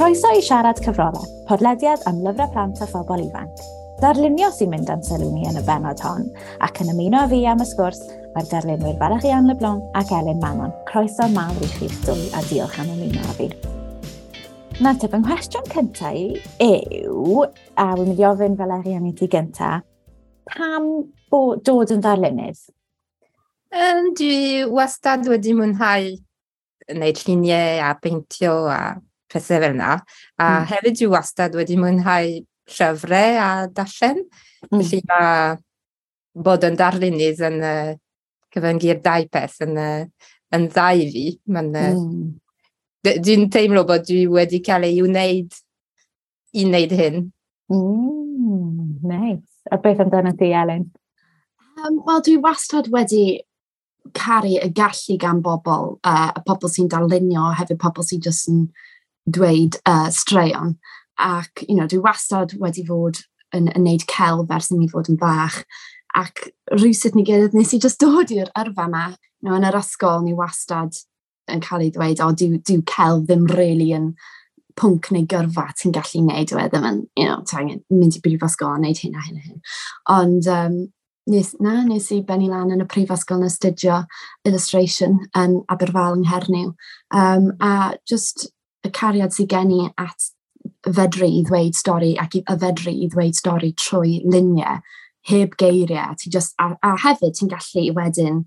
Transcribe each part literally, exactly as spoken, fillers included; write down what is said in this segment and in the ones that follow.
Croeso i Siarad Cyfrolau, podlediad am lyfrau plant a phobl ifanc. Darlunio sy'n mynd â'n sylw ni yn y bennod hon, ac yn ymuno â fi am y sgwrs mae'r darlunwyr Valériane Leblanc ac Elin Manon. Croeso mawr i chi'ch dwy a diolch am ymuno â fi. Na te, fy nghwestiwn cyntaf i yw, a wy'n mynd i ofyn Valériane i ti gyntaf, pam bo, dod yn ddarlunydd? Um, dwi wastad wedi mwynhau wneud lluniau a peintio a pethau fel yna. A mm. hefyd dwi wastad wedi mwynhau llyfrau a darllen. Mm. Felly mae bod yn darlunydd yn uh, cyfyngu'r dau peth yn, uh, yn dda i fi. Mae'n, uh, mm. Dwi'n teimlo bod dwi wedi cael ei wneud i wneud hyn. Mm, nice. A beth amdano ti, Elin? Um, Wel, dwi wastad wedi caru y gallu gan bobl, uh, y pobl sy'n darlunio, hefyd pobl sy'n just yn dweud uh, straeon. Ac, you know, dwi wastad wedi fod yn, yn neud celf ers i mi fod yn bach. Ac rhywsut ni gilydd nes i just dod i'r yrfa yma. You know, yn yr ysgol, ni wastad yn cael ei ddweud, o, dyw, dyw celf ddim really yn pwnc neu gyrfa ti'n gallu neud, e ddim yn, you know, ti angen mynd i brifysgol a neud hyn a hyn a hyn. Ond um, nes, na, nes i benni lan yn y prifysgol yn astudio illustration yn Aberfal yng Nghernyw. Um, a just y cariad sydd gen i at fedru i ddweud stori ac i, y fedru i ddweud stori trwy luniau, heb geiriau. Ti just, a, a hefyd ti'n gallu wedyn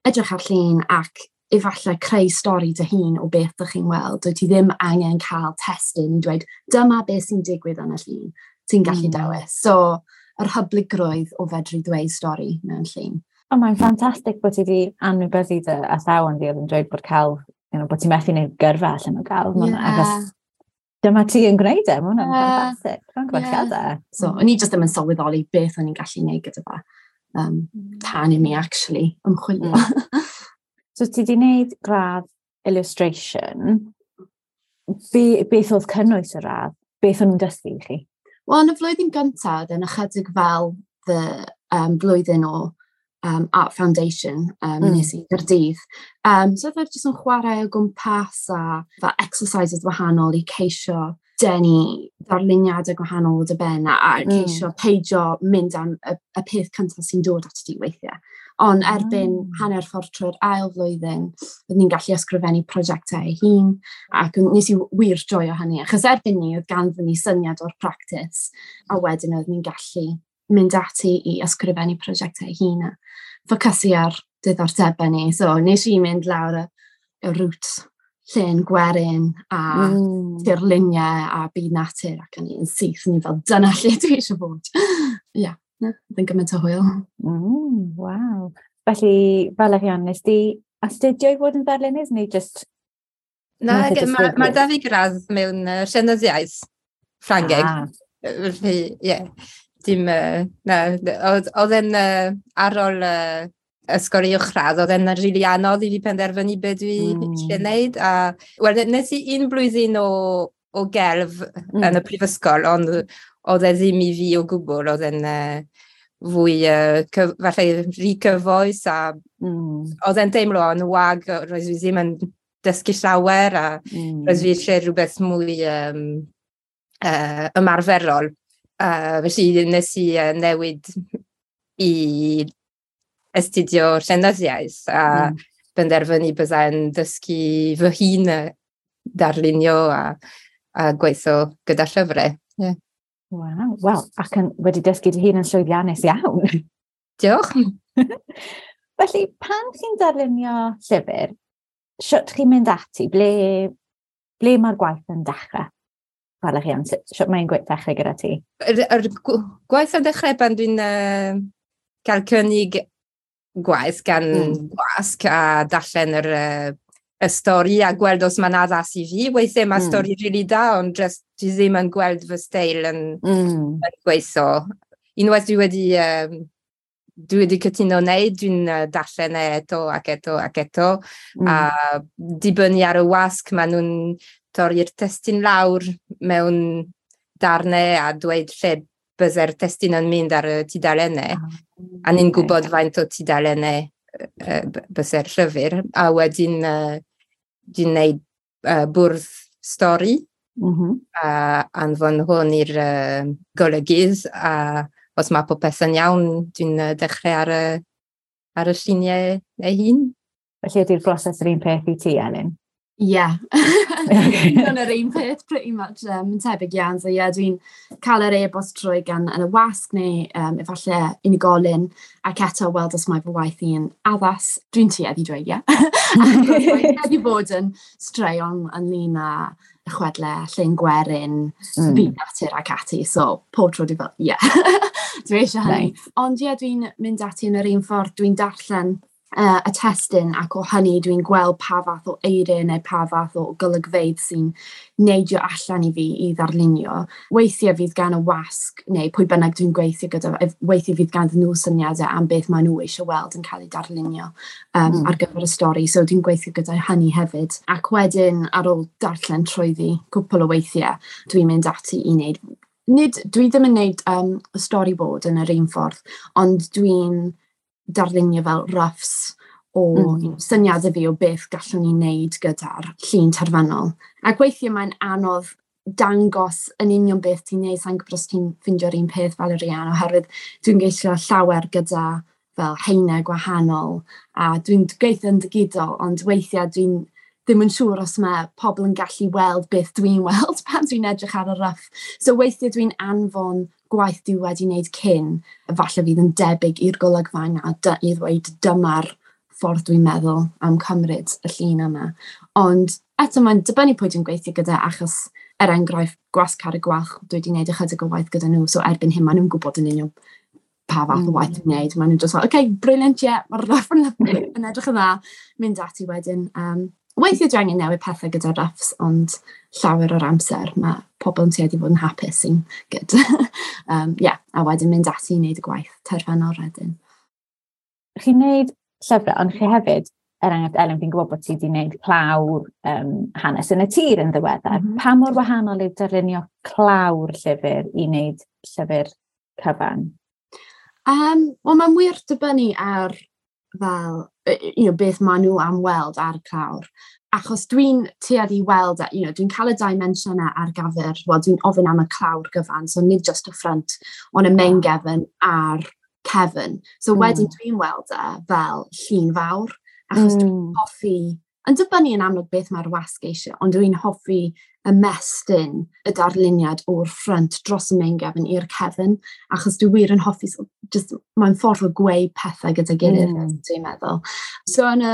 edrych ar llun ac efallai creu stori dy hun o beth ydych chi'n weld. Dwyt ti ddim angen cael testun i dweud dyma beth sy'n digwydd yn y llun. Ti'n gallu mm. dewis. So, yr hyblygrwydd o fedru dweud stori mewn llun. O, mae'n ffantastig bod ti wedi anwybyddu dy athrawon di oedd yn dweud bod celf, you know, bod ti'n methu wneud gyrfa allan o gelf. Yeah. Achos dyma ti yn gwneud e, mae hwnna'n yeah. ffantastig. Mae'n yeah. So, o'n i just ddim yn sylweddoli beth o'n i'n gallu gwneud gyda fe. Um, tan i mi actually ymchwilio. Mm. So ti wedi gwneud gradd illustration. Be, beth oedd cynnwys y radd? Beth o'n nhw'n dysgu i chi? Wel, yn y flwyddyn gyntaf, yn ychydig fel the um, blwyddyn o um, Art Foundation um, mm. nes i Gaerdydd. Um, so oedd jyst yn chwarae o gwmpas a fel exercises wahanol i ceisio denu darluniadau gwahanol o dy ben a, a mm. ceisio peidio mynd am y, y peth cyntaf sy'n dod at ti weithiau. Ond erbyn mm. hanner ffordd trwy'r ail flwyddyn, byddwn ni'n gallu ysgrifennu prosiectau ei hun, ac nes i wir joio hynny, achos erbyn ni oedd ganddyn ni syniad o'r practis, a wedyn oedd ni'n gallu mynd ati i ysgrifennu prosiectau ei hun a ffocysu ar diddordebau ni. So nes i mynd lawr y, y route llên gwerin a mm. tirluniau a byd natur ac o'n i'n syth, o'n i fel dyna lle dwi eisiau bod. Ie, yeah, oedd yn gymaint o hwyl. Mm, waw. Felly, Valériane, nes di astudio i fod yn ddarlunydd neu just... Na, mae ma da fi gradd mewn uh, llenyddiaeth Ffrangeg. Ah. Felly, ie. Yeah. Dim, uh, na, oedd e'n uh, ar ôl uh, ysgol uwchradd, oedd e'n rili really anodd i fi penderfynu beth dwi mm. eisiau gwneud. A, wel, nes i un blwyddyn o, o gelf mm. yn y prifysgol, ond oedd e ddim i fi o gwbl, oedd e'n uh, fwy, uh, cyf, falle rhy cyfoes, a mm. oedd e'n teimlo yn wag, roedd fi ddim yn dysgu llawer, a mm. roedd fi eisiau rhywbeth mwy um, uh, ymarferol. Uh, felly nes i uh, newid i astudio llenyddiaeth a mm. benderfynu byddai'n dysgu fy hun darlunio a, a gweithio gyda llyfrau. Yeah. Waw, wel, ac yn, wedi dysgu dy hun yn llwyddiannus iawn. Diolch. Felly, pan chi'n darlunio llyfr, sut chi'n mynd ati? Ble, ble mae'r gwaith yn dechrau? Valériane, sut mae'n gwaith dechrau gyda ti? Yr, yr gwaith yn dechrau pan dwi'n uh, cael cynnig gwaith gan mm. gwasg a darllen yr, uh, y stori a gweld os mae'n addas i fi. Weithiau mae mm. stori rili really da, ond just dwi ddim yn gweld fy steil yn, mm. yn gweithio. Unwaith dwi wedi, um, dwi wedi cytuno wneud, dwi'n uh, darllen e eto ac eto ac eto. Mm. A dibynnu ar y wasg, maen nhw'n torri'r testun lawr mewn darnau a dweud lle byddai'r testun yn mynd ar y tudalennau. Oh, a ni'n gwybod faint o tudalennau uh, byddai'r llyfr. A wedyn uh, dwi'n gwneud uh, bwrdd stori. Mm -hmm. A anfon hwn i'r uh, golygydd, a os mae popeth yn iawn, dwi'n dechrau ar y, ar y lluniau ei hun. Felly ydy'r broses yr un peth i ti, Elin? Ie. Yeah. Yn yr un peth, pretty much. Um, yn tebyg iawn. So ie, yeah, dwi'n cael yr e-bost trwy gan yn y wasg neu um, efallai unigolyn, ac eto weld os mae fy waith i'n addas. Dwi'n tueddu dweud ie. Mae'n tueddu bod yn straeon ynglyn â chwedlau, llên gwerin, mm. byd natur ac ati. So pob tro dwi fel, ie, yeah. Dwi eisiau hynny. Nice. Ond ie, yeah, dwi'n mynd ati yn yr un ffordd. Dwi'n darllen uh, y testun, ac o hynny dwi'n gweld pa fath o eiriau neu pa fath o golygfeydd sy'n neidio allan i fi i ddarlunio. Weithiau fydd gan y wasg, neu pwy bynnag dwi'n gweithio gyda, weithiau fydd gan nhw syniadau am beth maen nhw eisiau weld yn cael ei darlunio um, mm. ar gyfer y stori, so dwi'n gweithio gyda hynny hefyd. Ac wedyn, ar ôl darllen trwyddi cwpl o weithiau, dwi'n mynd ati i wneud. Nid, dwi ddim yn wneud um, storyboard yn yr un ffordd, ond dwi'n darlunio fel roughs o mm. you know, syniadau fi o beth gallwn ni wneud gyda'r llun terfynol. Ac weithiau mae'n anodd dangos yn union beth ti'n neud, sa'n gwybod os ti'n ffeindio'r un peth fel yr Ian, oherwydd dwi'n gweithio llawer gyda fel haenau gwahanol, a dwi'n gweithio yn digidol, ond weithiau dwi'n ddim yn siŵr os mae pobl yn gallu weld beth dwi'n weld pan dwi'n edrych ar y rough. So weithiau dwi'n anfon gwaith dwi wedi wneud cyn, falle fydd yn debyg i'r golygfa yna, i ddweud dyma'r ffordd dwi'n meddwl am cymryd y llun yma. Ond eto mae'n dibynnu pwy dwi'n gweithio gyda, achos er enghraifft Gwasg Carreg Gwalch, dwi wedi gwneud ychydig o waith gyda nhw, so erbyn hyn maen nhw'n gwybod yn union pa fath o waith dwi'n gwneud. Maen nhw'n just fel, OK, brilliant, yeah, mae'r rough yn, yn edrych yn dda, mynd ati wedyn. Um, weithiau dwi angen newid pethau gyda roughs, ond llawer o'r amser mae pobl yn tueddu fod yn hapus sy'n good. um, yeah, a wedyn mynd ati i wneud y gwaith terfynol wedyn. Chi'n wneud llyfrau, ond chi hefyd, er enghraifft, Elin, fi'n gwybod bod ti wedi gwneud clawr um, hanes yn y tir yn ddiweddar. Mm -hmm. Pa mor wahanol yw darlunio clawr llyfr i wneud llyfr cyfan? Um, Wel, mae'n wir dibynnu ar fel, you know, beth maen nhw am weld ar y clawr. Achos dwi'n tueddu i weld, you know, dwi'n cael y dimensiynau ar gyfer, wel, dwi'n ofyn am y clawr gyfan, so nid just y front, ond y main gefn a'r cefn. So mm. wedyn dwi'n weld e fel llun fawr, achos mm. dwi'n hoffi, yn dibynnu yn amlwg beth mae'r wasg eisiau, ond dwi'n hoffi ymestyn y darluniad o'r front dros y main gefn i'r cefn, achos dwi wir yn hoffi, so just, mae'n ffordd o gweu pethau gyda'i gilydd, mm. dwi'n meddwl. So yn y,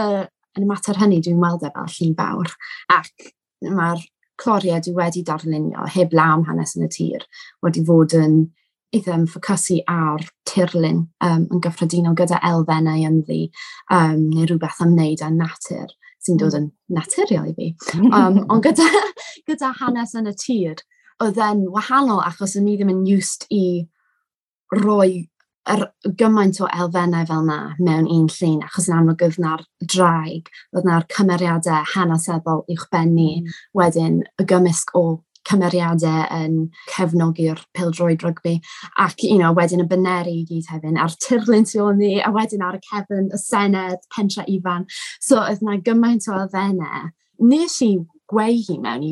yn y mater hynny, dwi'n weld e fel llun fawr, ac mae'r cloriau dwi wedi darlunio, heb law am hanes yn y tir, wedi fod yn eitha yn ffocysu ar tirlun um, yn gyffredinol gyda elfennau ynddi, um, neu rhywbeth am wneud â natur sy'n dod yn naturiol i fi. Um, ond gyda, gyda hanes yn y tir, oedd e'n wahanol achos o'n i ddim yn used i roi yr gymaint o elfennau fel na mewn un llun, achos yn amlwg oedd na'r draig, oedd na'r cymeriadau hanesyddol uwchben ni, mm. wedyn y gymysg o cymeriadau yn cefnogi'r pêl-droed rygbi, ac you know, wedyn y baneri i gyd hefyd, a'r tirlun tu ôl ni, a wedyn ar y cefn, y Senedd, Pentre Ifan. So oedd na gymaint o elfennau. Nes i gweu hi mewn i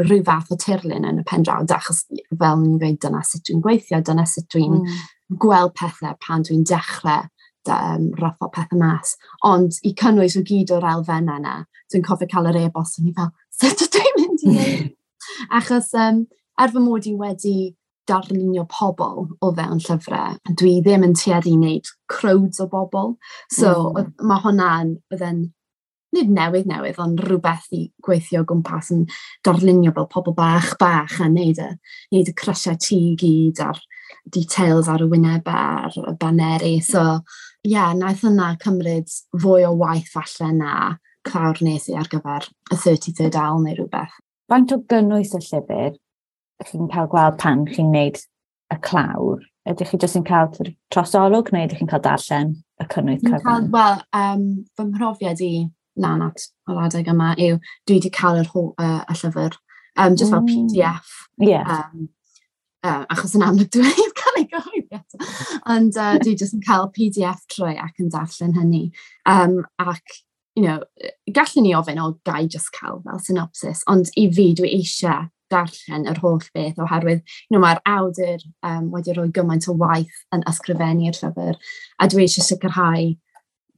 rhyw fath o tirlun yn y pen draw, achos fel ni'n dweud, dyna sut dwi'n gweithio, dyna sut dwi'n mm. gweld pethau pan dwi'n dechrau um, rougho pethau mas. Ond i cynnwys o gyd o'r elfennau yna, dwi'n cofio cael yr e-bost, o'n i fel, sut ydw i'n mynd i wneud? Achos um, er fy mod i wedi darlunio pobl o fewn llyfrau, dwi ddim yn tueddu i wneud crowds o bobl. So mm. mae hwnna'n, oedd yn, nid newydd newydd, ond rhywbeth i gweithio o gwmpas yn darlunio fel pobl bach bach a wneud y, wneud y crysiau tŷ i gyd a'r details ar y wynebau a'r y baneri. So, ie, yeah, naeth hwnna cymryd fwy o waith falle na clawr nes i ar gyfer y thirty-third Owl neu rhywbeth. Faint o gynnwys y llyfr chi'n cael gweld pan chi'n gwneud y clawr? Ydych chi jyst yn cael trosolwg neu ydych chi'n cael darllen y cynnwys cyfan? Wel, um, fy mhrofiad i lan at yr adeg yma yw dwi wedi cael yr uh, y llyfr, um, just fel mm. P D F. Yeah. Um, uh, achos yn amlwg dwi wedi cael ei gyhoeddi eto. Ond uh, dwi jyst yn cael P D F trwy ac yn darllen hynny. Um, ac you know, gallwn ni ofyn o gai just cael fel synopsis, ond i fi dwi eisiau darllen yr holl beth oherwydd you know, mae'r awdur um, wedi rhoi gymaint o waith yn ysgrifennu'r llyfr a dwi eisiau sicrhau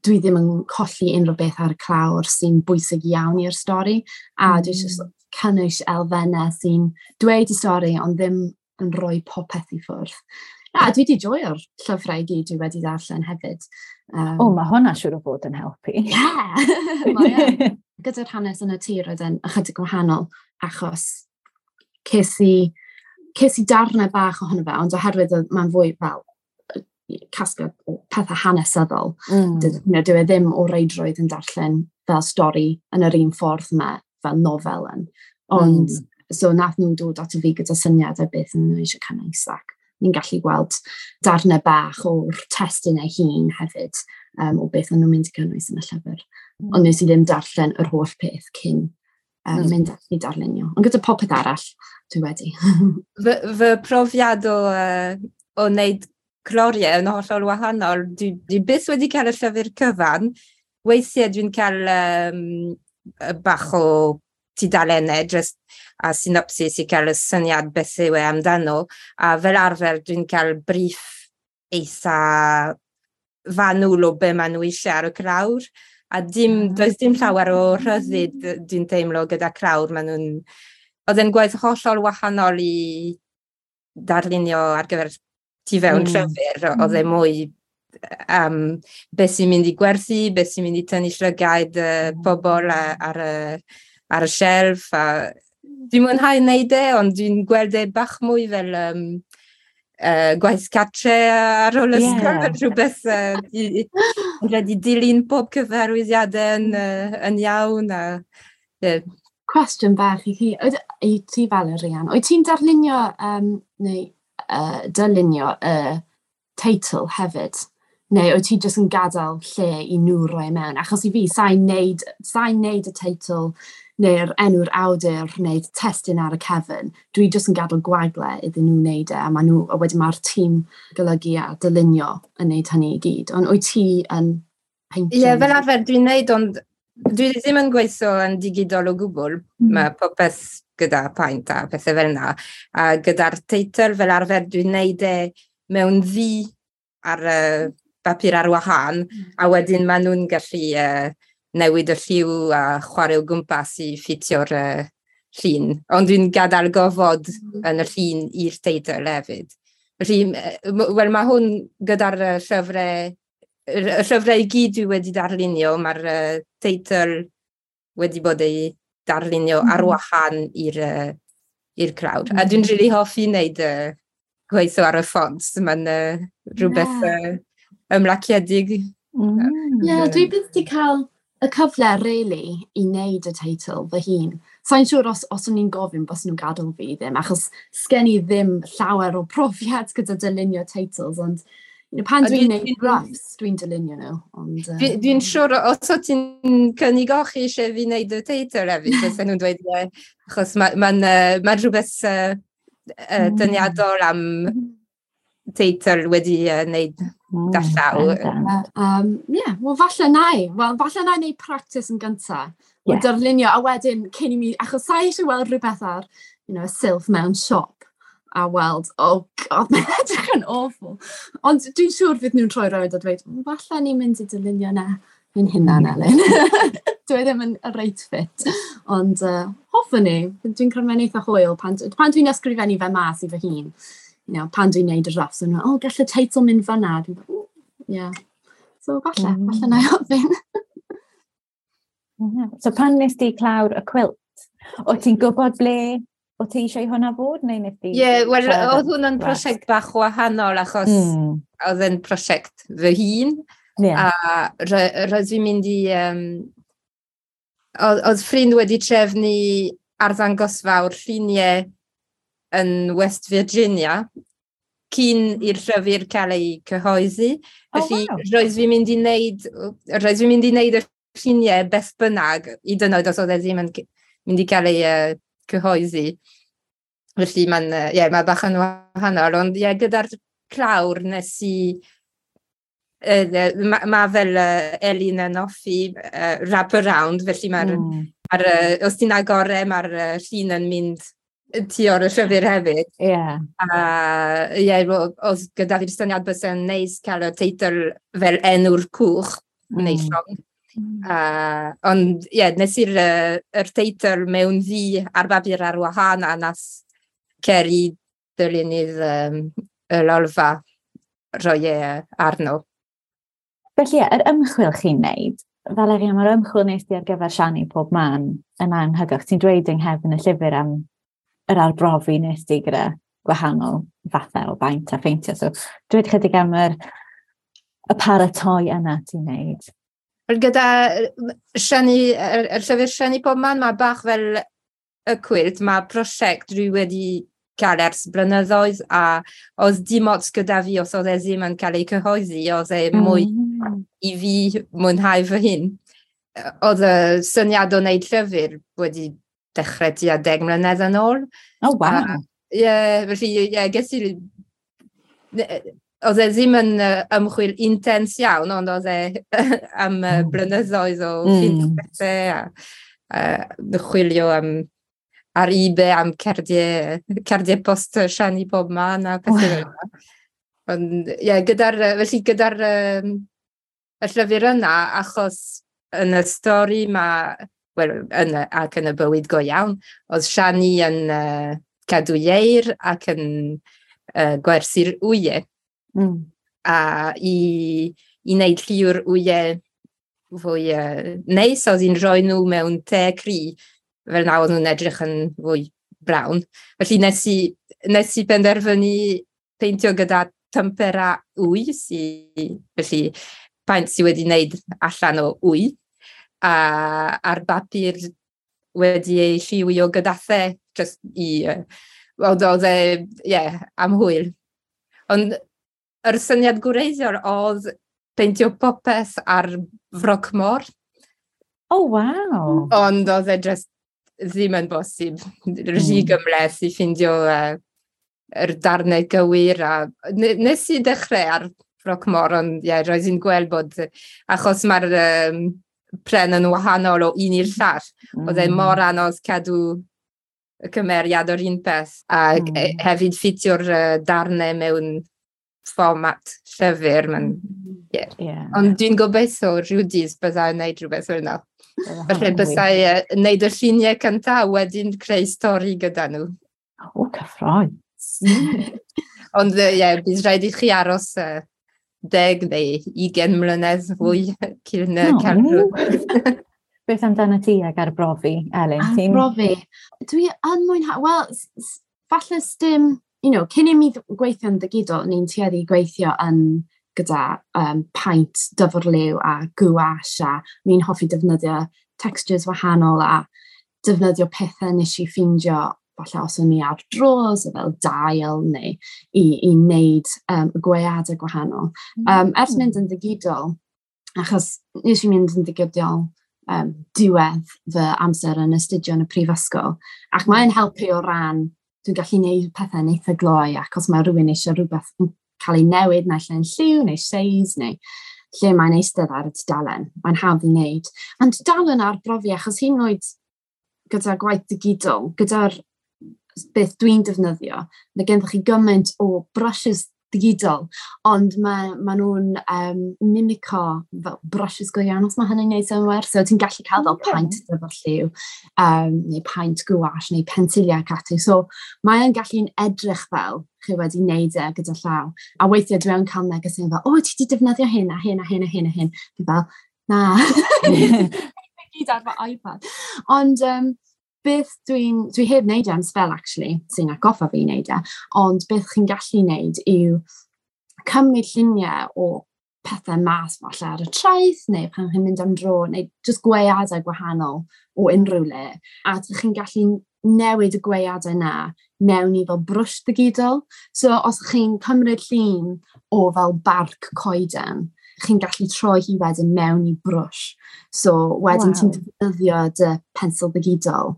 dwi ddim yn colli unrhyw beth ar y clawr sy'n bwysig iawn i'r stori a mm. dwi eisiau cynnwys elfennau sy'n dweud y stori ond ddim yn rhoi popeth i ffwrdd. A dwi wedi joio'r llyfrau i gyd dwi wedi darllen hefyd. Um, o, mae hwnna siŵr o fod yn helpu. Yeah! Gyda'r hanes yn y tir oedd yn ychydig gwahanol achos ces i, ces i darnau bach ohono fe, ond oherwydd mae'n fwy fel casgliad o pethau hanesyddol. Mm. Dwi, you know, dwi e ddim o reidrwydd yn darllen fel stori yn yr un ffordd yma, fel nofel yn. Ond, mm. so nath nhw dod ato fi gyda syniadau beth yn nhw eisiau cynnwys ac ni'n gallu gweld darnau bach o'r testun ei hun hefyd um, o beth o'n nhw'n mynd i gynnwys yn y llyfr. Mm. Ond nes i ddim darllen yr holl peth cyn um, mm. mynd i darlunio. Ond gyda popeth arall, dwi wedi. fy, fy profiad o, uh, o wneud cloriau yn hollol wahanol. Dwi, dwi byth wedi cael y llyfr cyfan. Weithiau dwi'n cael um, bach o tudalennau just a synopsis i cael y syniad beth yw e amdano. A fel arfer dwi'n cael briff eitha fanwl o be maen nhw eisiau ar y clawr. A dim, does dim llawer o rhyddid dwi'n teimlo gyda clawr. Maen nhw'n... Oedd e'n gwaith hollol wahanol i darlunio ar gyfer tu fewn mm. llyfr. Oedd e mwy um, beth sy'n mynd i gwerthu, beth sy'n mynd i tynnu llygaid uh, pobl ar, y, ar y shelf. A dwi'n mwynhau wneud e, ond dwi'n gweld e bach mwy fel um, uh, gwaith cartre ar ôl ysgol, yeah. fel rhywbeth uh, wedi dilyn pob cyfarwyddiadau yn, uh, yn iawn. A, yeah. Cwestiwn bach i chi, i ti fel y Rhian, wyt ti'n darlunio um, neu uh, dylunio y uh, teitl hefyd? Neu wyt ti jyst yn gadael lle i nhw roi mewn? Achos i fi, sa'n neud, sa'n neud y teitl neu'r enw'r awdur neu testun ar y cefn. Dwi jyst yn gadael gwagle iddyn nhw wneud e, a, ma nhw, a wedyn mae'r tîm golygu a dylunio yn neud hynny i gyd. Ond wyt ti yn peintio? Ie, yeah, fel arfer dwi'n neud, ond dwi ddim yn gweithio yn digidol o gwbl. Mm. Mae popeth gyda paent a pethau fel yna. A gyda'r teitl fel arfer dwi'n neud e mewn ddu ar y bapur ar wahân, mm. a wedyn maen nhw'n gallu uh, newid y lliw a chwarae o gwmpas i ffitio'r uh, llun. Ond dwi'n gadael gofod mm. yn y llun i'r teitl hefyd. Felly, wel, mae hwn gyda'r llyfrau, y llyfrau i gyd dwi wedi darlunio, mae'r uh, teitl wedi bod ei darlunio mm. ar wahân i'r uh, i'r clawr. Mm. A dwi'n rili hoffi wneud uh, gweithio ar y ffont. Mae'n uh, rhywbeth yeah. uh, ymlaciedig. Mm. Yeah, dwi byth wedi cael y cyfle, really, i wneud y teitl fy hun. Sa'n siŵr os, os o'n i'n gofyn bys nhw'n gadael fi ddim, achos sgen i ddim llawer o profiad gyda dylunio teitls, ond you know, pan dwi'n gwneud roughs, dwi'n dylunio nhw. Ond, uh, Dwi'n dwi siŵr, os o ti'n cynnig o chi eisiau fi wneud y teitl hefyd, fysen nhw'n dweud, ie, achos mae'n ma, ma, ma rhywbeth uh, uh, dyniadol am teitl wedi uh, wneud mm, da llaw. Um, yeah, wel falle na i. Wel, falle na i wneud practice yn gyntaf. Yeah. Darlunio, a wedyn cyn i mi, achos sa i eisiau weld rhywbeth ar, you know, silff mewn siop, a weld, oh god, mae'n edrych yn awful. Ond dwi'n siŵr fydd nhw'n troi rownd a dweud, falle ni'n mynd i dylunio na yn hunan, Elin. Dwi ddim yn y reit fit. Ond uh, hoffwn i, dwi'n credu mae'n eitha hwyl pan, pan dwi'n ysgrifennu fe mas i fy hun. You know, pan dwi'n neud y drafts, dwi'n meddwl, oh, gall y teitl mynd fan'na. Dwi'n meddwl, yeah. So, falle, mm. falle na i ofyn. So, pan nes di clawr y quilt, o ti'n gwybod ble o ti eisiau hwnna fod, neu nes di? Ie, yeah, wel, oedd hwnna'n prosiect bach wahanol, achos mm. oedd yn prosiect fy hun. Yeah. A roedd fi'n mynd i... Um, oedd, oedd ffrind wedi trefnu arddangosfa o'r lluniau yn West Virginia cyn i'r llyfr cael ei cyhoeddi. Felly, oh, wow. roedd fi'n mynd i wneud, roedd fi'n mynd i wneud y lluniau beth bynnag, hyd yn oed os oedd e ddim yn mynd i cael ei uh, cyhoeddi. Felly, mae'n uh, yeah, mae bach yn wahanol, ond yeah, gyda'r clawr nes i... Uh, mae ma fel uh, Elin yn hoffi uh, wrap around, felly mae'r mm. ma uh, os ti'n agor e, mae'r uh, llun yn mynd tu o'r llyfr hefyd. Ie. Yeah. A ie, yeah, oedd gyda fi'r syniad bysa'n neis cael y teitl fel enw'r cwch, mm. neu llong. Mm. Uh, ond ie, yeah, nes i'r uh, yr teitl mewn ddu ar bapur ar wahân a nas Ceri dylunydd um, y lolfa roi e arno. Felly, ie, yr ymchwil chi'n neud, Valeria, mae'r ymchwil nes di ar gyfer Siani pob man yn anhygoel. Ti'n dweud yng nghefn y llyfr am yr arbrofi nes di gyda gwahanol fathau o baent a pheintio. So, dweud chydig am yr, y paratoi yna ti'n neud. Wel, gyda Siani, yr, yr llyfr Siani pob man, mae bach fel y cwilt, mae prosiect dwi wedi cael ers blynyddoedd a oedd dim ots gyda fi os oedd e ddim yn cael ei cyhoeddi, oedd e mwy mm. i fi mwynhau fy hun. Oedd y syniad o wneud llyfr wedi dechrau tua deg mlynedd yn ôl. Oh, wow. Ie, yeah, felly, ie, yeah, ges i... Oedd e ddim yn ymchwil intens iawn, ond oedd e am mm. blynyddoedd o mm. ffeindio bethau a, a chwilio am ar eBay am cardiau, cardiau post Siani pob man a pethau fel yna. Ond ie, yeah, gyda'r, felly gyda'r um, y llyfr yna, achos yn y stori mae, wel, yn, ac yn y bywyd go iawn, oedd Siani yn uh, cadw ieir ac yn uh, gwerthu'r wyau. Mm. A i, i wneud lliw'r wyau fwy uh, neis, oedd hi'n rhoi nhw mewn te cri, fel na oedd nhw'n edrych yn fwy brown. Felly nes i, nes i penderfynu peintio gyda tempera wy, sy, felly paent sy wedi wneud allan o wy, a ar bapur wedi ei lliwio gyda the, just i, oedd oedd e, ie, am hwyl. Ond yr syniad gwreiddiol oedd peintio popeth ar froc môr. Oh, wow! Ond oedd e just ddim yn bosib. Rhy mm. gymhleth i ffindio uh, yr darnau gywir. A nes i dechrau ar froc môr, ond ie, yeah, roedd hi'n gweld bod, achos mae'r um, pren yn wahanol o un i'r llall, mm. oedd e mor anodd cadw y cymeriad o'r un peth. A mm. hefyd ffitio'r uh, darnau mewn fformat llyfr. Man, yeah. Yeah. Ond dwi'n gobeithio rhyw dydd byddai'n gwneud rhywbeth fel yna. Felly bysai wneud y lluniau cyntaf a wedyn creu stori gyda nhw. O, cyffrous. Ond ie, yeah, bydd rhaid i chi aros uh, deg neu ugain mlynedd fwy cyn uh, cael rhywbeth. Beth amdano ti ag arbrofi, Elin? Arbrofi? Dwi yn mwynhau... Wel, falle sdim... You know, cyn i mi gweithio'n ddigidol, ni'n tueddu gweithio yn gyda um, paent dyfrliw a gouache, a ni'n hoffi defnyddio textures wahanol a defnyddio pethau nes i ffeindio falle os o'n i ar dros, fel dail neu i, i wneud um, gweadau gwahanol. Um, ers mynd yn ddigidol, achos nes i mynd yn ddigidol um, diwedd fy amser yn astudio yn y prifysgol, ac mae'n helpu o ran dwi'n gallu gwneud pethau'n eitha gloi, ac os mae rhywun eisiau rhywbeth yn cael ei newid, naill ai'n lliw neu seis neu lle mae'n eistedd ar y tudalen, mae'n hawdd i wneud. Ond dal yn arbrofi, achos hyd yn oed gyda gwaith digidol, gyda'r beth dwi'n defnyddio, mae gennych chi gymaint o brushes digidol, ond mae, mae nhw'n um, mimico fel brushes go iawn, os mae hynny'n gwneud synnwyr. So ti'n gallu cael fel okay. paent efo lliw, um, neu paent gouache, neu pensiliau ac ati. So mae'n gallu'n edrych fel chi wedi wneud e gyda llaw. A weithiau dwi yn cael negeseuon fel, o, ti wedi defnyddio hyn a hyn a hyn a hyn a hyn. Fi fel, na. Gyd ar fy iPad. Ond um, beth dwi'n, dwi heb wneud e am sbel, actually, sy'n atgoffa fi wneud e, ond beth chi'n gallu wneud yw cymryd lluniau o pethau mas falle ar y traeth, neu pan chi'n mynd am dro, neu just gweadau gwahanol o unrhyw le, a chi'n gallu newid y gweadau na mewn i fel brwsh digidol. So os chi'n cymryd llun o fel barc coeden, chi'n gallu troi hi wedyn mewn i brwsh. So wedyn wow. Ti'n defnyddio dy pensel digidol,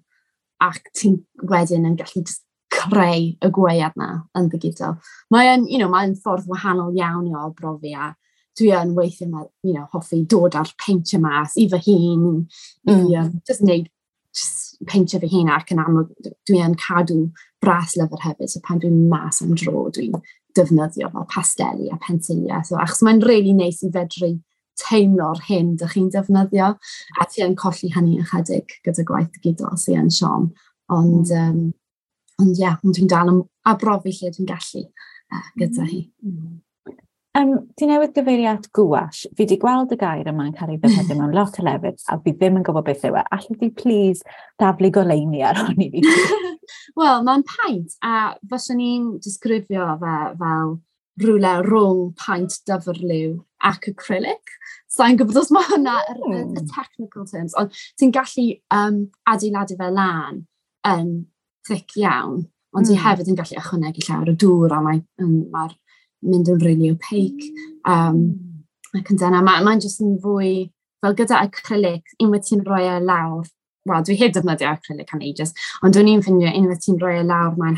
ac ti'n wedyn yn gallu just creu y gwead na yn ddigidol. Mae'n, you know, mae'n ffordd wahanol iawn i arbrofi, a dwi yn weithio, you know, hoffi dod â'r peintio mas i fy hun, mm. i um, just wneud Just peintio fy hun, ac yn amlwg dwi yn cadw bras lyfr hefyd, so pan dwi'n mas am dro, dwi'n defnyddio fel pasteli a pensiliau. So, achos mae'n really neis i fedru teimlo'r hyn dych chi'n defnyddio, a ti yn colli hynny ychydig gyda gwaith digidol sy'n yn siom. Ond, um, ond ie, yeah, ond dwi'n dal yn arbrofi lle dwi'n gallu uh, gyda hi. Mm. Um, ti newydd gyfeirio at gouache. Fi wedi gweld y gair yma'n cael ei ddefnyddio mewn lot o lefydd, a fi ddim yn gwybod beth yw e. Allet ti please daflu goleuni ar hwn i fi? Wel, mae'n paent, a fyswn i'n disgrifio fe fel rhywle rhwng paent dyfrliw ac acrylic. Sa'n gwybod os mae hwnna yr, y, y technical terms, ond ti'n gallu um, adeiladu fe lan yn thick iawn, ond ti mm. hefyd yn gallu ychwanegu llawer o dŵr a mae'n mae mynd yn really opaque. Um, ac yn dyna, mae'n mae jyst yn fwy, fel gyda acrylic, unwaith ti'n rhoi e lawr, wel, dwi heb defnyddio acrylic am ages, ond dwi'n i'n ffindio unwaith ti'n rhoi e lawr, mae'n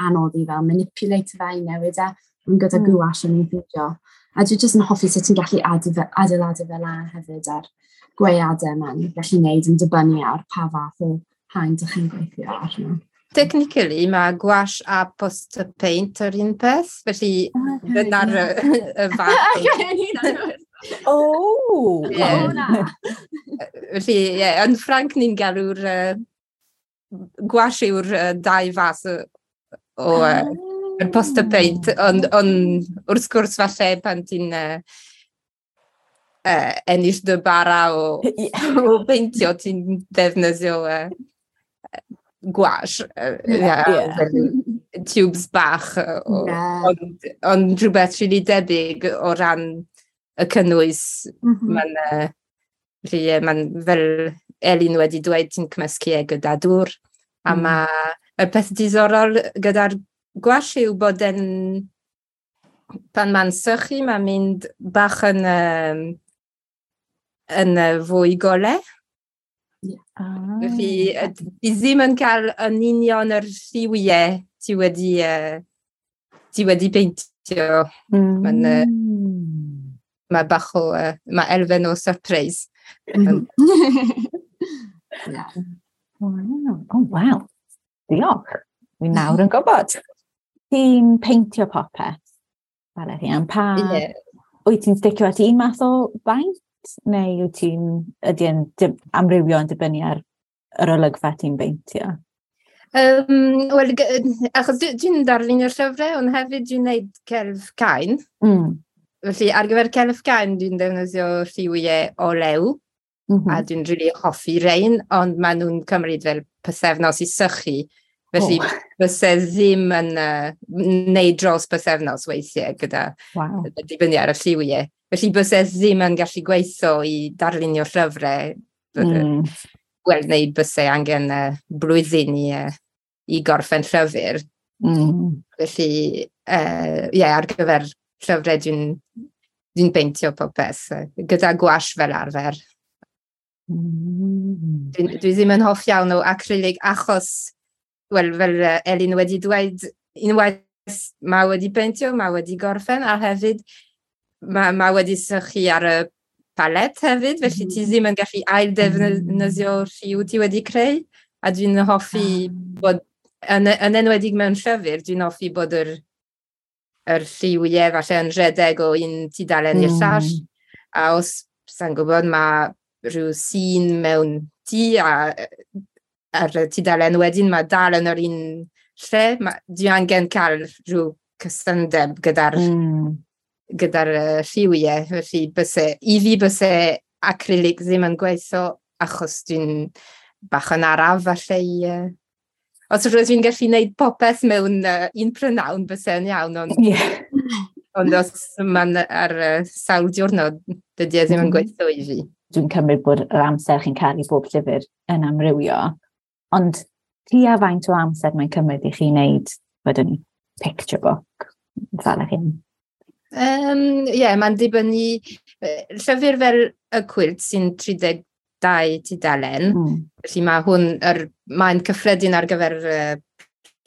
anodd i fel manipulate fe i newid e, ond gyda mm. gouache o'n i'n ffindio. A dwi jyst yn hoffi sut ti'n gallu adeiladu fe lan hefyd ar gweadau mae'n gallu gwneud yn dibynnu ar pa fath o haen dych chi'n gweithio arno. Technically, mae gouache a poster paint yr un peth, felly okay, dyna'r y, y fath. Oh! Yeah. Felly, ie, yeah, yn Ffranc ni'n galw'r uh, gouache yw'r uh, dau fath o, o uh, y poster paint, ond on, wrth gwrs falle pan ti'n uh, uh, ennill dy bara o, o peintio, ti'n defnyddio uh, gouache, uh, yeah, yeah. tubes bach, o, yeah. ond, ond rhywbeth rili debyg o ran y cynnwys. Mm -hmm. Mae'n uh, felly, mae'n fel Elin wedi dweud, ti'n cymysgu e gyda dŵr, a mm. mae y peth diddorol gyda'r gouache yw bod yn, pan mae'n sychu, mae'n mynd bach yn, um, yn fwy golau. Yeah. Ah. Felly, ti ddim yn cael yn union yr lliwiau ti wedi, uh, ti wedi peintio. Mm. Mae'n uh, mae bach o, uh, mae elfen o surprise. Mm. Yeah. Wow. Oh, wow. Diolch. Fi nawr yn gwybod. Ti'n peintio popeth, Valerie, pa... Yeah. Wyt ti'n sticio at un math o baint? Neu wyt ti'n, ydy yn amrywio yn dibynnu ar yr olygfa ti'n beintio? Um, Wel, achos dwi'n darlunio'r llyfrau, ond hefyd dwi'n gwneud celf cain. Mm. Felly, ar gyfer celf cain, dwi'n defnyddio lliwiau olew, mm -hmm. a dwi'n rili hoffi rein, ond maen nhw'n cymryd fel pythefnos i sychu. Felly, oh. byse ddim yn uh, neud dros pythefnos weithiau gyda wow. dibynnu ar y lliwiau. Felly, byse ddim yn gallu gweithio i darlunio llyfrau. Mm. Wel, neu byse angen uh, blwyddyn i, uh, i gorffen llyfr. Mm. Felly, ie, uh, yeah, ar gyfer llyfrau dwi'n dwi peintio popeth, gyda gouache fel arfer. Mm. Dwi, dwi ddim yn hoff iawn o acrylic achos, wel, fel Elin wedi dweud, unwaith mae wedi peintio, mae wedi gorffen, a hefyd mae, mae wedi sychu ar y palet hefyd, felly ti ddim yn gallu ail defnyddio lliw ti wedi creu, a dwi'n hoffi bod, yn, yn enwedig mewn llyfr, dwi'n hoffi bod yr, yr lliwiau falle yn rhedeg o un tudalen i'r llall, a os, sa'n gwybod, mae rhyw sîn mewn tŷ a ar y tudalen wedyn mae dal yn yr un lle, ma, dwi angen cael rhyw cysondeb gyda'r mm. gyda'r uh, lliwiau, felly byse, i fi byse acrylic ddim yn gweithio achos dwi'n bach yn araf falle i... Uh, os rydw i'n gallu gwneud popeth mewn uh, un prynawn byse yn iawn, ond, yeah. ond os mae'n ar uh, sawl diwrnod, dydy e ddim yn gweithio i fi. Dwi'n cymryd bod yr amser chi'n cael i bob llyfr yn amrywio, ond tua faint o amser mae'n cymryd i chi wneud, wedyn ni, picture book, fel yr hyn? Ie, um, yeah, mae'n dibynnu llyfr fel y cwilt sy'n tri deg dau tudalen, mm. felly mae hwn, er, mae'n cyffredin ar gyfer uh,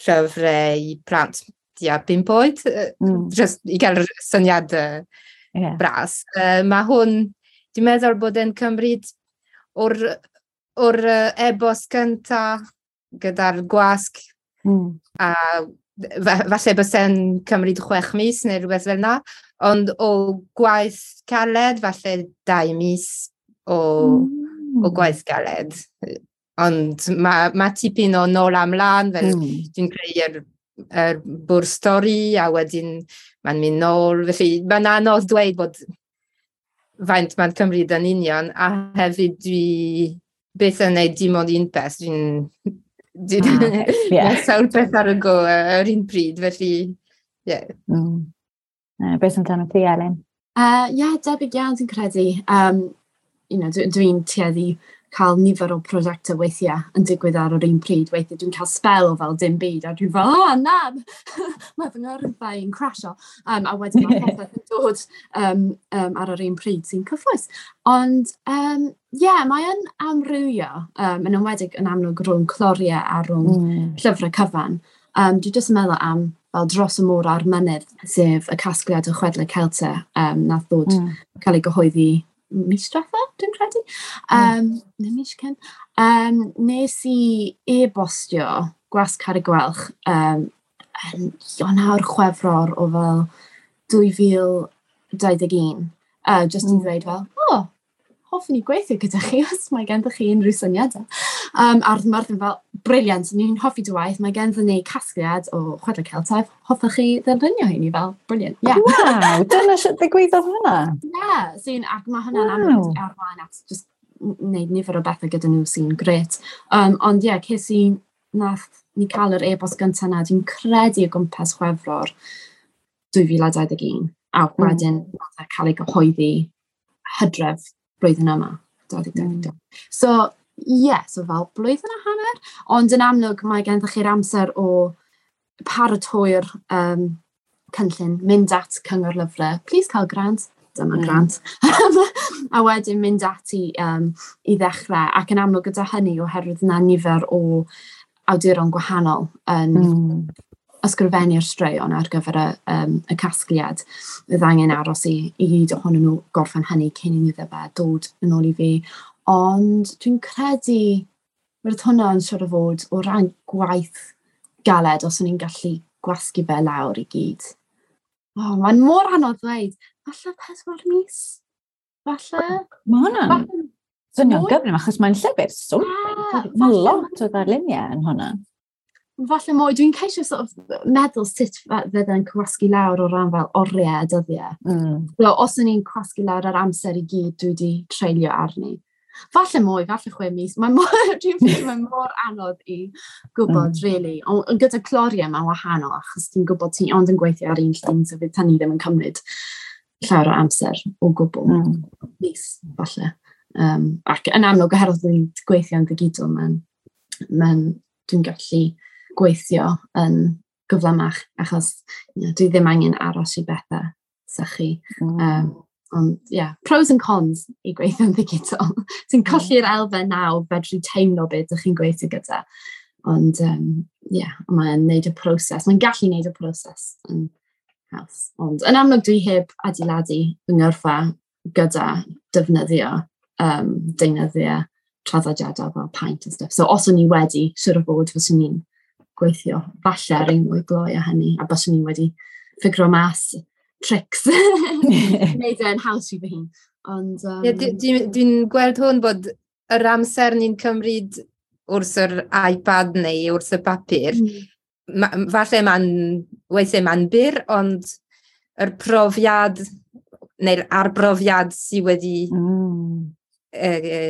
llyfrau i plant tua pump oed, mm. just i gael syniad uh, yeah. bras. Uh, mae hwn, dwi'n meddwl bod e'n cymryd o'r, o'r e-bost cynta gyda'r gwasg mm. a falle byse'n cymryd chwech mis neu rhywbeth fel yna, ond o gwaith caled, falle dau mis o, mm. o gwaith galed. Ond mae ma tipyn o nôl a mlaen, fel mm. dwi'n creu yr, yr bwrdd stori a wedyn mae'n mynd nôl. Felly mae'n anodd dweud bod faint mae'n cymryd yn union, a hefyd dwi byth yn neud dim ond un peth. Dwi'n Dwi'n ah, yeah. sawl peth ar y go yr un pryd, felly, ie. Yeah. Mm. Uh, beth amdano ti, Elin? Uh, yeah, debyg iawn dwi'n credu. Um, you know, dwi'n dwi tueddu cael nifer o prosiectau weithiau yn digwydd ar yr un pryd. Weithiau dwi'n cael spel o fel dim byd a dwi'n fel, oh na, mae fy ngyrfa i'n crasio. Um, a wedyn mae popeth yn dod um, um, ar yr un pryd sy'n cyffrous. Ond, um, yeah, mae yn amrywio, um, yn enwedig yn amlwg rhwng cloriau a rhwng mm. llyfrau cyfan. Um, dwi jyst yn meddwl am fel Dros y Môr a'r Mynydd, sef y casgliad o chwedlau Celtaidd, um, nath ddod mm. cael ei gyhoeddi mis diwetha, dwi'n credu. Um, mm. Neu mis cyn. Um, nes i e-bostio Gwasg Carreg Gwelch um, yn Ionawr Chwefror o fel dwy fil dau ddeg un. Uh, just mm. i ddweud fel, o, oh, hoffwn i gweithio gyda chi os mae gennych chi unrhyw syniadau. Um, a roedd Myrddin fel, brilliant, ni'n hoffi dy waith, mae genddyn ni casgliad o chwedlau Celtaidd, hoffech chi ddefnyddio hyn i fel, brilliant, yeah. Waw, dyna sut ddigwyddodd hwnna? Yeah, sy'n, ac mae hwnna'n wow. amlwg arwain at just wneud nifer o bethau gyda nhw sy'n gret. Um, ond ie, yeah, ces i, nath ni cael yr e-bost gyntaf na, dwi'n credu o gwmpas Chwefror dwy fil a dau ddeg un, a wedyn mm. nath e cael ei gyhoeddi hydref blwyddyn yma, dau ddeg dau ddeg. So, ie, yeah, so fel blwyddyn a hanner, ond yn amlwg mae gennych chi'r amser o paratoi'r um, cynllun, mynd at Cyngor Lyfrau, please cael grant, dyma mm. grant, a wedyn mynd ati um, i ddechrau, ac yn amlwg gyda hynny oherwydd yna nifer o awduron gwahanol yn mm. ysgrifennu'r straeon ar gyfer y, um, y casgliad. Bydd angen aros i, i gyd ohonyn nhw gorffen hynny cyn i iddo fe dod yn ôl i fi. Ond dwi'n credu roedd hwnna yn siŵr o fod o ran gwaith galed os o'n i'n gallu gwasgu fe lawr i gyd. Oh, mae'n mor anodd ddweud. Falle pedwar mis? Falle? Mae hwnna'n swnio'n gyflym achos mae'n llyfr swmpus. Yeah, mae lot o ddarluniau yn hwnna. Falle mwy, dwi'n ceisio sort of meddwl sut fydde'n cywasgu lawr o ran fel oriau a dyddiau. Mm. So, os o'n i'n cywasgu lawr ar amser i gyd dwi wedi treulio arni. Falle mwy, falle chwe mis. Mae'n mor, dwi'n ffeindio mae'n mor anodd i gwybod, mm. really. Ond on, gyda cloriau mae'n wahanol, achos ti'n gwybod ti ond yn gweithio ar un llun, so fydd hynny ddim yn cymryd llawer o amser o gwbl. Mm. Mis, falle. Um, ac yn amlwg, oherwydd dwi'n gweithio yn ddigidol, mae'n, mae'n, dwi'n gallu gweithio yn gyflymach, achos you know, dwi ddim angen aros i bethau sychu. Mm. Um, ond, yeah, pros and cons i gweithio'n ddigidol. Ti'n colli'r elfen na o fedru teimlo beth ydych chi'n gweithio gyda. Ond, um, yeah, mae'n neud y proses. Mae'n gallu neud y proses yn haws. Ond, yn amlwg, dwi heb adeiladu fy ngyrfa gyda defnyddio um, deunyddiau traddodiadol fel paint and stuff. So, os o'n i wedi, siŵr o fod, fyswn i'n gweithio falle ar un mwy gloi a hynny, a byswn i wedi ffigro mas tricks wneud e'n haws i fy hun. Ond, um... yeah, Dwi'n dwi gweld hwn bod yr amser ni'n cymryd wrth yr iPad neu wrth y papur, mm. ma, falle mae'n, weithiau mae'n byr, ond yr profiad neu'r arbrofiad sydd wedi mm. e, e,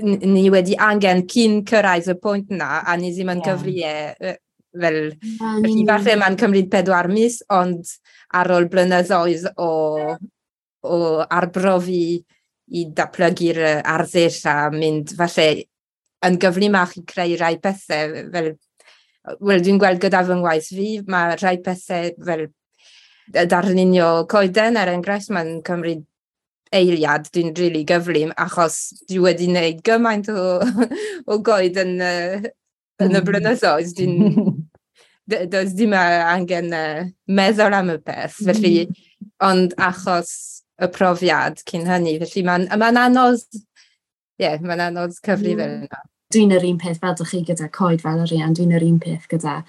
ni wedi angen cyn cyrraedd y pwynt na, a ni ddim yn yeah. cyfri e, fel, yeah, felly falle mae'n cymryd pedwar mis, ond ar ôl blynyddoedd o, o arbrofi i datblygu'r arddull a mynd falle yn gyflymach i creu rai pethau, fel, wel, dwi'n gweld gyda fy ngwaith fi, mae rhai pethau fel darlunio coeden, er enghraifft, mae'n cymryd eiliad, dwi'n rili really gyflym, achos dwi wedi gwneud gymaint o, o goed yn, yn y blynyddoedd. Dwi'n, does dim angen meddwl am y peth, felly, ond achos y profiad cyn hynny, felly mae'n ma anodd yeah, mae'n anodd cyfri mm. fel yna. Dwi'n yr un peth fel dych chi gyda coed fel yr un, dwi'n yr un peth gyda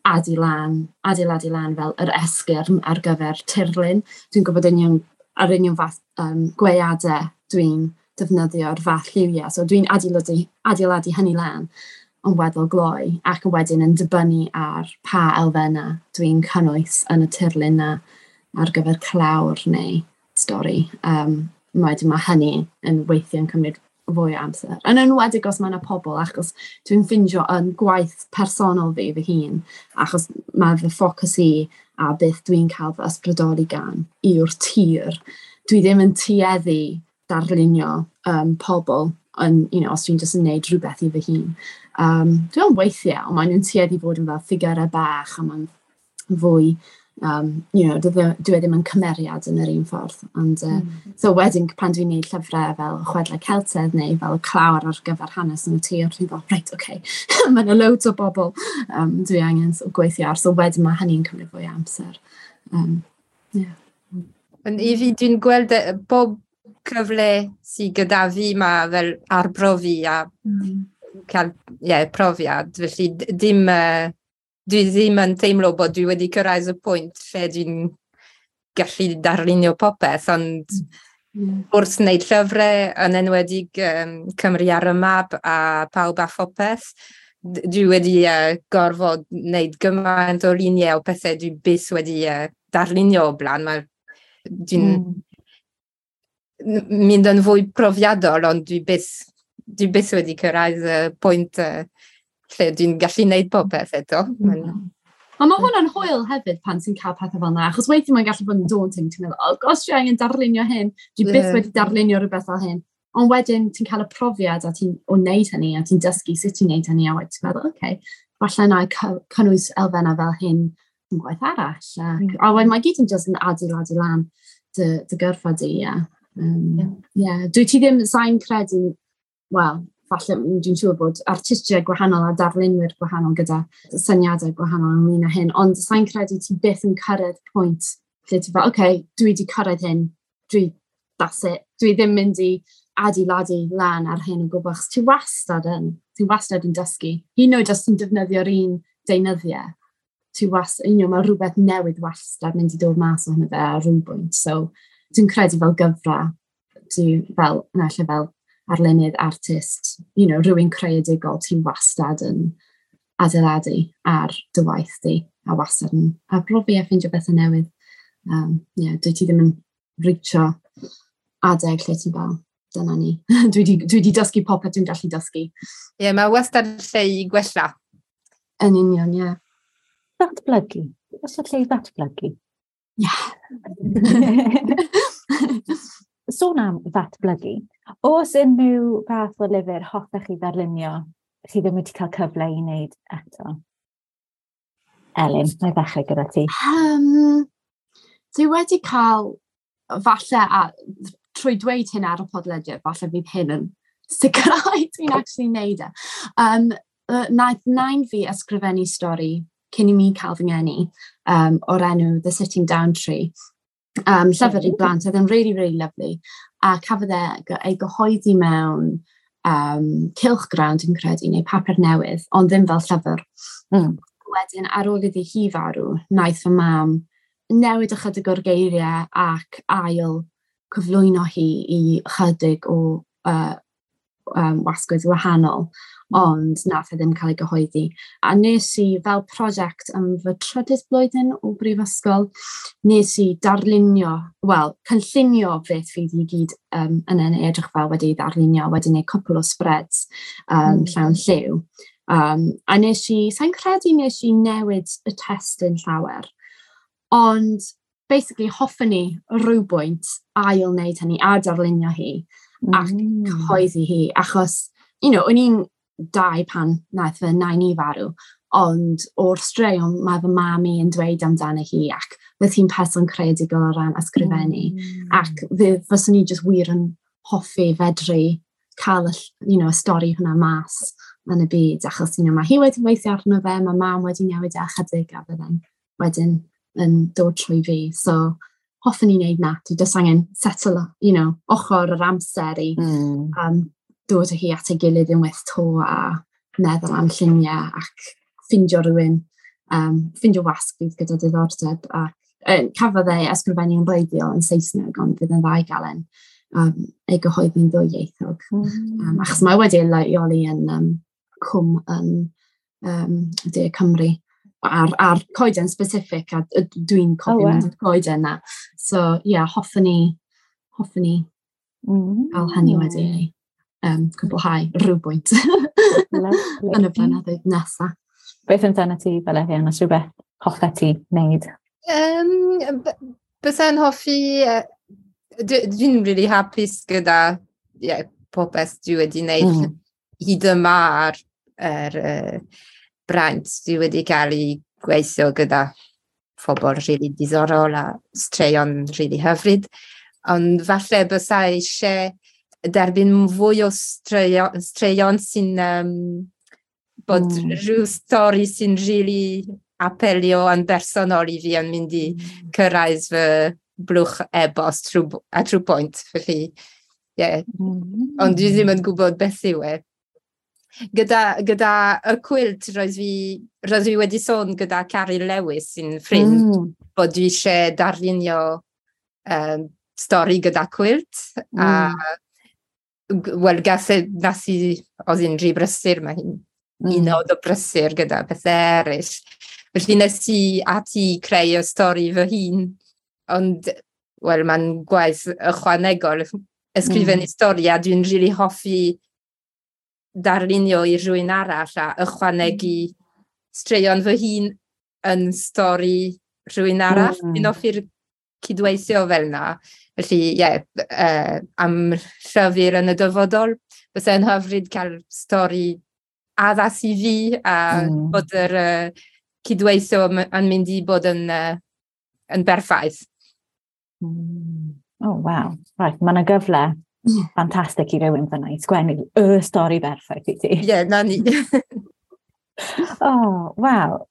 adilan, adeiladu lan fel yr esgyrn ar gyfer tirlun. Dwi'n gwybod union, ar union fath um, gweadau dwi'n defnyddio'r fath lliwiau. So dwi'n adeiladu, adeiladu hynny lan yn weddol gloi ac yn wedyn yn dibynnu ar pa elfennau dwi'n cynnwys yn y tirlun na ar gyfer clawr neu stori. Um, wedyn mae hynny yn weithio yn cymryd fwy o amser. Yn enwedig os mae yna pobl, achos dwi'n ffindio yn gwaith personol fi fy hun, achos mae fy ffocws i a beth dwi'n cael fy ysbrydoli gan yw'r tir. Dwi ddim yn tueddu darlunio um, pobl yn, you know, os dwi'n just yn neud rhywbeth i fy hun. Um, dwi'n weithiau, ond maen nhw'n tueddu fod yn fel ffigurau bach a mae'n fwy um, you know, dwi, dwi e ddim yn cymeriad yn yr un ffordd. Ond, uh, mm. So wedyn, pan dwi'n neud llyfrau fel Chwedlau Celtaidd neu fel clawr ar gyfer hanes yn y tir, dwi'n fel, reit, oce, okay. Mae yna loads o bobl um, dwi angen sort of gweithio ar. So wedyn mae hynny'n cymryd fwy o amser. Um, yeah. Ond i fi, dwi'n gweld bob cyfle sydd gyda fi mae fel arbrofi a mm. cael yeah, profiad. Felly dim, uh, dwi ddim yn teimlo bod dwi wedi cyrraedd y pwynt lle dwi'n gallu darlunio popeth, ond mm. wrth wneud llyfrau, yn enwedig um, Cymru ar y map a Pawb a Phopeth, dwi wedi uh, gorfod wneud gymaint o luniau o pethau dwi byth wedi uh, darlunio o blaen. Mae, dwi'n mm. mynd yn fwy profiadol, ond dwi byth, dwi byth wedi cyrraedd y pwynt uh, lle dwi'n gallu gwneud popeth eto. Mm. Ond mae hwnna'n hwyl hefyd pan ti'n cael pethau fel yna, achos weithiau mae'n gallu bod yn daunting, ti'n meddwl, oh gosh, dwi angen darlunio hyn, dwi byth yeah. wedi darlunio rhywbeth fel hyn. Ond wedyn ti'n cael y profiad a ti'n o wneud hynny, a ti'n dysgu sut ti'n wneud hynny, a wedyn ti'n meddwl, oce, okay, falle na i cynnwys elfennau fel hyn yn gwaith arall. Ac, mm. A wedyn mae gyd yn just yn adeiladu lan dy, dy gyrfa di, ie. Um, yeah. yeah. Dwi ti ddim, sa'n credu, wel, falle dwi'n siŵr bod artistiaid gwahanol a darlunwyr gwahanol gyda syniadau gwahanol ynglyn â hyn, ond sa'n credu ti byth yn cyrraedd pwynt lle ti fel, oce, okay, dwi wedi cyrraedd hyn, dwi, that's it, dwi ddim mynd i adeiladu lan ar hyn o gwbl, achos ti wastad yn, ti wastad yn dysgu. Hyd yn oed os ti'n defnyddio'r un deunyddiau, ti wastad, you know, mae rhywbeth newydd wastad mynd i dod mas ohono fe ar rhywbwynt. So, dwi'n credu fel gyfra, dwi fel, naill fel arlunydd, artist, you know, rhywun creadigol, ti'n wastad yn adeiladu ar dy waith di, a wastad yn arbrofi a ffeindio bethau newydd. Um, yeah, dwi ti ddim yn reachio adeg lle ti'n fel, dyna ni. dwi di, dwi di dysgu popeth dwi'n gallu dysgu. Ie, yeah, mae wastad lle i gwella. Yn union, ie. Yeah. Datblygu. Oes yna lle i ddatblygu? Ie. Sôn am ddatblygu, oes unrhyw fath o lyfr hoffech chi ddarlunio chi ddim wedi cael cyfle i wneud eto? Elin, na i ddechrau gyda ti. Um, dwi wedi cael, falle, a, trwy dweud hyn ar y podlediad, falle fydd hyn yn sicrhau dwi'n actually neud e. Um, naeth nain fi ysgrifennu stori cyn i mi cael fy ngeni um, o'r enw The Sitting Down Tree. Um, llyfr i blant, oedd yn really, really lovely. A cafodd e ei gyhoeddi mewn um, cylchgrawn, dwi'n credu, neu papur newydd, ond ddim fel llyfr. Mm. Wedyn, ar ôl iddi hi farw, naeth fy mam newid ychydig o'r geiriau ac ail cyflwyno hi i ychydig o uh, um, wasgoedd wahanol, ond nath e ddim cael ei gyhoeddi. A nes i, fel prosiect am fy trydydd blwyddyn o brifysgol, nes i darlunio, wel, cynllunio beth fydd i gyd um, yn yn edrych fel wedi ddarlunio, wedi gwneud cwpl o spreads um, mm. llawn lliw. Um, a nes i, sa'n credu nes i newid y testun llawer, ond basically hoffwn i rhywbwynt ail wneud hynny a darlunio hi mm. ac cyhoeddi hi, achos, you know, o'n i'n dau pan naeth fy nain i farw, ond o'r straeon mae fy mam i yn dweud amdano hi ac fydd hi'n person creadigol o ran ysgrifennu mm. ac fyswn i just wir yn hoffi fedru cael y, you know, y stori hwnna mas yn y byd, achos you know, mae hi wedi weithio arno fe, mae mam wedi newid e ychydig a fydden wedyn yn dod trwy fi. So, hoffwn i wneud na. Dwi just angen settle, you know, ochr yr amser i mm. um, dod â hi at ei gilydd unwaith to a meddwl am lluniau ac ffindio rhywun, um, ffindio wasg fydd gyda diddordeb. A, uh, cafodd ei ysgrifennu yn bleiddiol yn Saesneg, ond fydd yn dda i gael e'n um, ei gyhoeddi'n ddwyieithog. Mm. Um, achos mae wedi ei leoli yn um, cwm yn um, De Cymru ar, ar coeden specific, a dwi'n cofio oh, wow. mynd i'r coeden na. So, ie, yeah, hoffwn i, hoffwn i mm. gael hynny wedi ei um, cwblhau rhywbwynt yn y blynyddoedd nesaf. Beth amdano ti, Valerian, os rhywbeth hoffet ti wneud? Um, Bysa'n hoffi... Uh, dwi'n really hapus gyda yeah, popeth dwi wedi wneud mm. hyd yma ar er, uh, braint. Dwi wedi cael ei gweithio gyda phobl really diddorol a straeon really hyfryd. Ond falle bysa eisiau derbyn fwy o straeon, straeon sy'n um, bod mm. rhyw stori sy'n really apelio yn bersonol i fi yn mynd i mm. cyrraedd fy blwch e-bost trwy, at rhyw pwynt. Felly, yeah. Mm. Ond dwi ddim yn gwybod beth yw e. Gyda, gyda y cwilt, roedd fi, roedd fi wedi sôn gyda Carrie Lewis sy'n ffrind, mm. bod dwi eisiau darlunio um, stori gyda cwilt. Mm. A wel, gas e, nas i, oedd hi'n rhy brysur, mae hi'n mm. un o brysur gyda pethau eraill. Felly nes i ati creu y stori fy hun, ond, wel, mae'n gwaith ychwanegol ysgrifennu mm. stori, a dwi'n rili really hoffi darlunio i rhywun arall a ychwanegu straeon fy hun yn stori rhywun arall. Mm. Dwi'n hoffi'r cydweithio fel yna. Felly, ie, yeah, uh, am llyfr yn y dyfodol, bysa'n hyfryd cael stori addas i fi a mm. bod yr uh, cydweithio yn mynd i bod yn, uh, yn berffaith. Mm. Oh, wow. Right, mae yna gyfle ffantastig i rywun fyna i sgwennu y stori berffaith i ti. Ie, yeah, na ni. Oh, wow.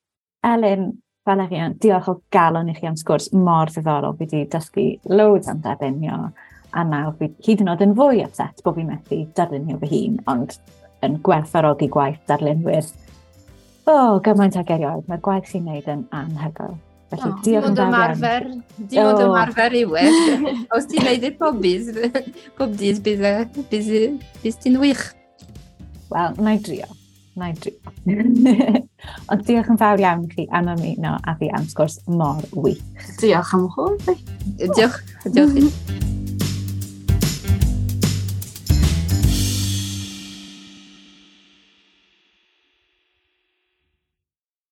Elin, Valerian, diolch o galon i chi am sgwrs mor ddiddorol. Fi wedi dysgu loads am darlunio, a nawr fi hyd yn oed yn fwy upset bod fi'n methu darlunio fy hun, ond yn gwerthfawrogi gwaith darlunwyr. O, oh, gymaint ag erioed. Mae'r gwaith chi'n neud yn anhygoel. Felly, oh, diolch yn fawr iawn. Dim ond ymarfer yw e. Os ti'n neud e pob dydd, pob dydd bydd, bydd, bydd ti'n wych. Wel, na i drio. Na i drio. Ond diolch yn fawr iawn i chi am ymuno a fi am sgwrs mor wych. Diolch am hwn. Diolch. Diolch i.